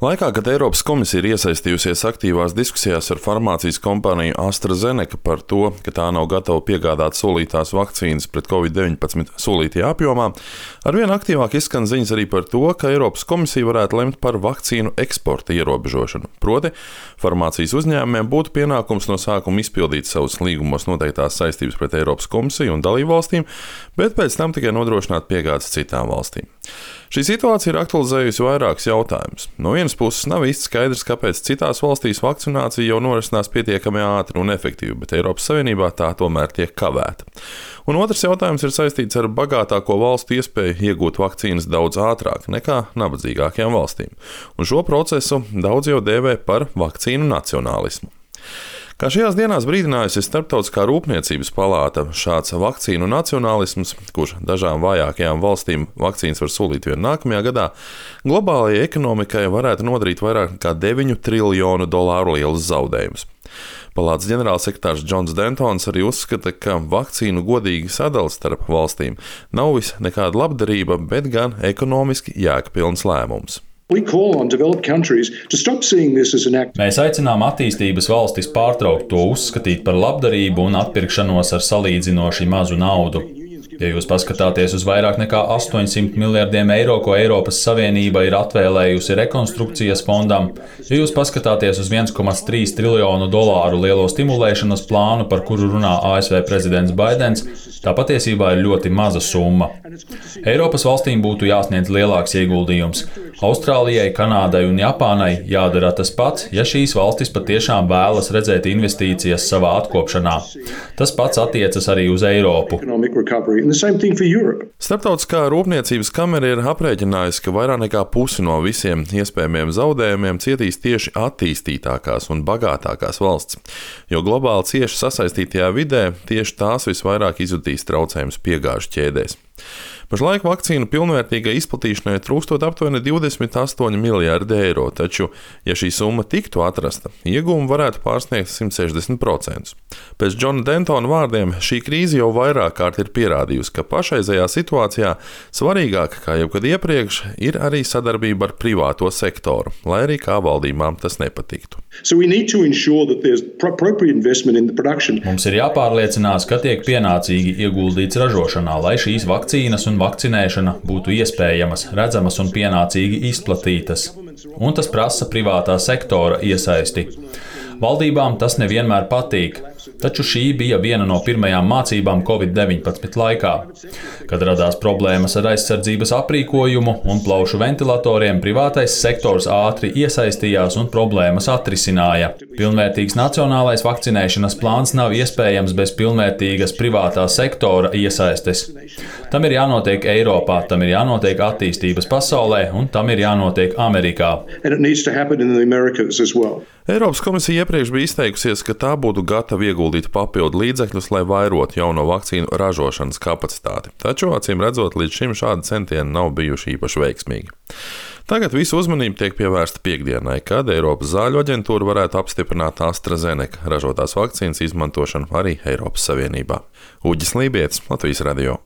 Laikā, kad Eiropas komisija ir iesaistījusies aktīvās diskusijās ar farmācijas kompāniju AstraZeneca par to, ka tā nav gatava piegādāt solītās vakcīnas pret Covid-19 solītajā apjomā, arvien aktīvāk izskan ziņas arī par to, ka Eiropas komisija varētu lemt par vakcīnu eksporta ierobežošanu. Proti, farmācijas uzņēmumiem būtu pienākums no sākuma izpildīt savus līgumos noteiktās saistības pret Eiropas komisiju un dalībvalstīm, bet pēc tam tikai nodrošināt piegādes citām valstīm. Šī situācija ir aktualizējusi vairākus jautājumus. No vienas puses nav īsti skaidrs, kāpēc citās valstīs vakcinācija jau norisinās pietiekami ātri un efektīvi, bet Eiropas Savienībā tā tomēr tiek kavēta. Un otrs jautājums ir saistīts ar bagātāko valstu iespēju iegūt vakcīnas daudz ātrāk nekā nabadzīgākajām valstīm. Un šo procesu daudz jau dēvē par vakcīnu nacionālismu. Kā šajās dienās brīdinājusi Starptautiskā rūpniecības palāta, šāds vakcīnu nacionālisms, kurš dažām vājākajām valstīm vakcīnas var solīt vien nākamajā gadā, globālajai ekonomikai varētu nodarīt vairāk nekā $9 triljonu lielus zaudējumus. Palātas ģenerālsekretārs Džons Dentons arī uzskata, ka vakcīnu godīga sadale starp valstīm nav vis nekāda labdarība, bet gan ekonomiski jēgpilns lēmums. Mēs aicinām attīstības valstis pārtraukt to uzskatīt par labdarību un atpirkšanos ar salīdzinoši mazu naudu. Ja jūs paskatāties uz vairāk nekā 800 miljardiem eiro, ko Eiropas Savienība ir atvēlējusi rekonstrukcijas fondam, ja jūs paskatāties uz $1,3 triljonu lielo stimulēšanas plānu, par kuru runā ASV prezidents Baidens, tā patiesībā ir ļoti maza summa. Eiropas valstīm būtu jāsniedz lielāks ieguldījums. Austrālijai, Kanādai un Japānai jādara tas pats, ja šīs valstis patiešām vēlas redzēt investīcijas savā atkopšanā. Tas pats attiecas arī uz Eiropu. Starptautiskā rūpniecības kamera ir aprēķinājusi, ka vairāk nekā pusi no visiem iespējamiem zaudējumiem cietīs tieši attīstītākās un bagātākās valsts, jo globāli cieši sasaistītajā vidē tieši tās visvairāk izjutīs traucējumus piegāžu ķēdēs. Pašlaik vakcīnu pilnvērtīgai izplatīšanai trūkstot aptuveni 28 miljārdi eiro, taču, ja šī summa tiktu atrasta, ieguvumi varētu pārsniegt 160%. Pēc Džona Dentona vārdiem šī krīze jau vairāk kārt ir pierādījusi, ka pašreizējā situācijā svarīgāk kā jebkad iepriekš ir arī sadarbība ar privāto sektoru, lai arī kā valdībām tas nepatiktu. Mums ir jāpārliecinās, ka tiek pienācīgi ieguldīts ražošanā, lai šīs vakcīnas un vakcinēšana būtu iespējamas, redzamas un pienācīgi izplatītas. Un tas prasa privātā sektora iesaisti. Valdībām tas nevienmēr patīk, taču šī bija viena no pirmajām mācībām Covid-19 laikā. Kad radās problēmas ar aizsardzības aprīkojumu un plaušu ventilatoriem, privātais sektors ātri iesaistījās un problēmas atrisināja. Pilnvērtīgs nacionālais vakcinēšanas plāns nav iespējams bez pilnvērtīgas privātā sektora iesaistes. Tam ir jānotiek Eiropā, tam ir jānotiek attīstības pasaulē un tam ir jānotiek Amerikā. Eiropas komisija iepriekš bija izteikusies, ka tā būtu gatava ieguldīt papildu līdzekļus, lai vairotu jauno vakcīnu ražošanas kapacitāti. Taču, acīm redzot, līdz šim šādi centieni nav bijuši īpaši veiksmīgi. Tagad visu uzmanību tiek pievērsta piekdienai, kad Eiropas zāļu aģentūra varētu apstiprināt AstraZeneca ražotās vakcīnas izmantošanu arī Eiropas Savienībā. Uģis Lībietis, Latvijas radio.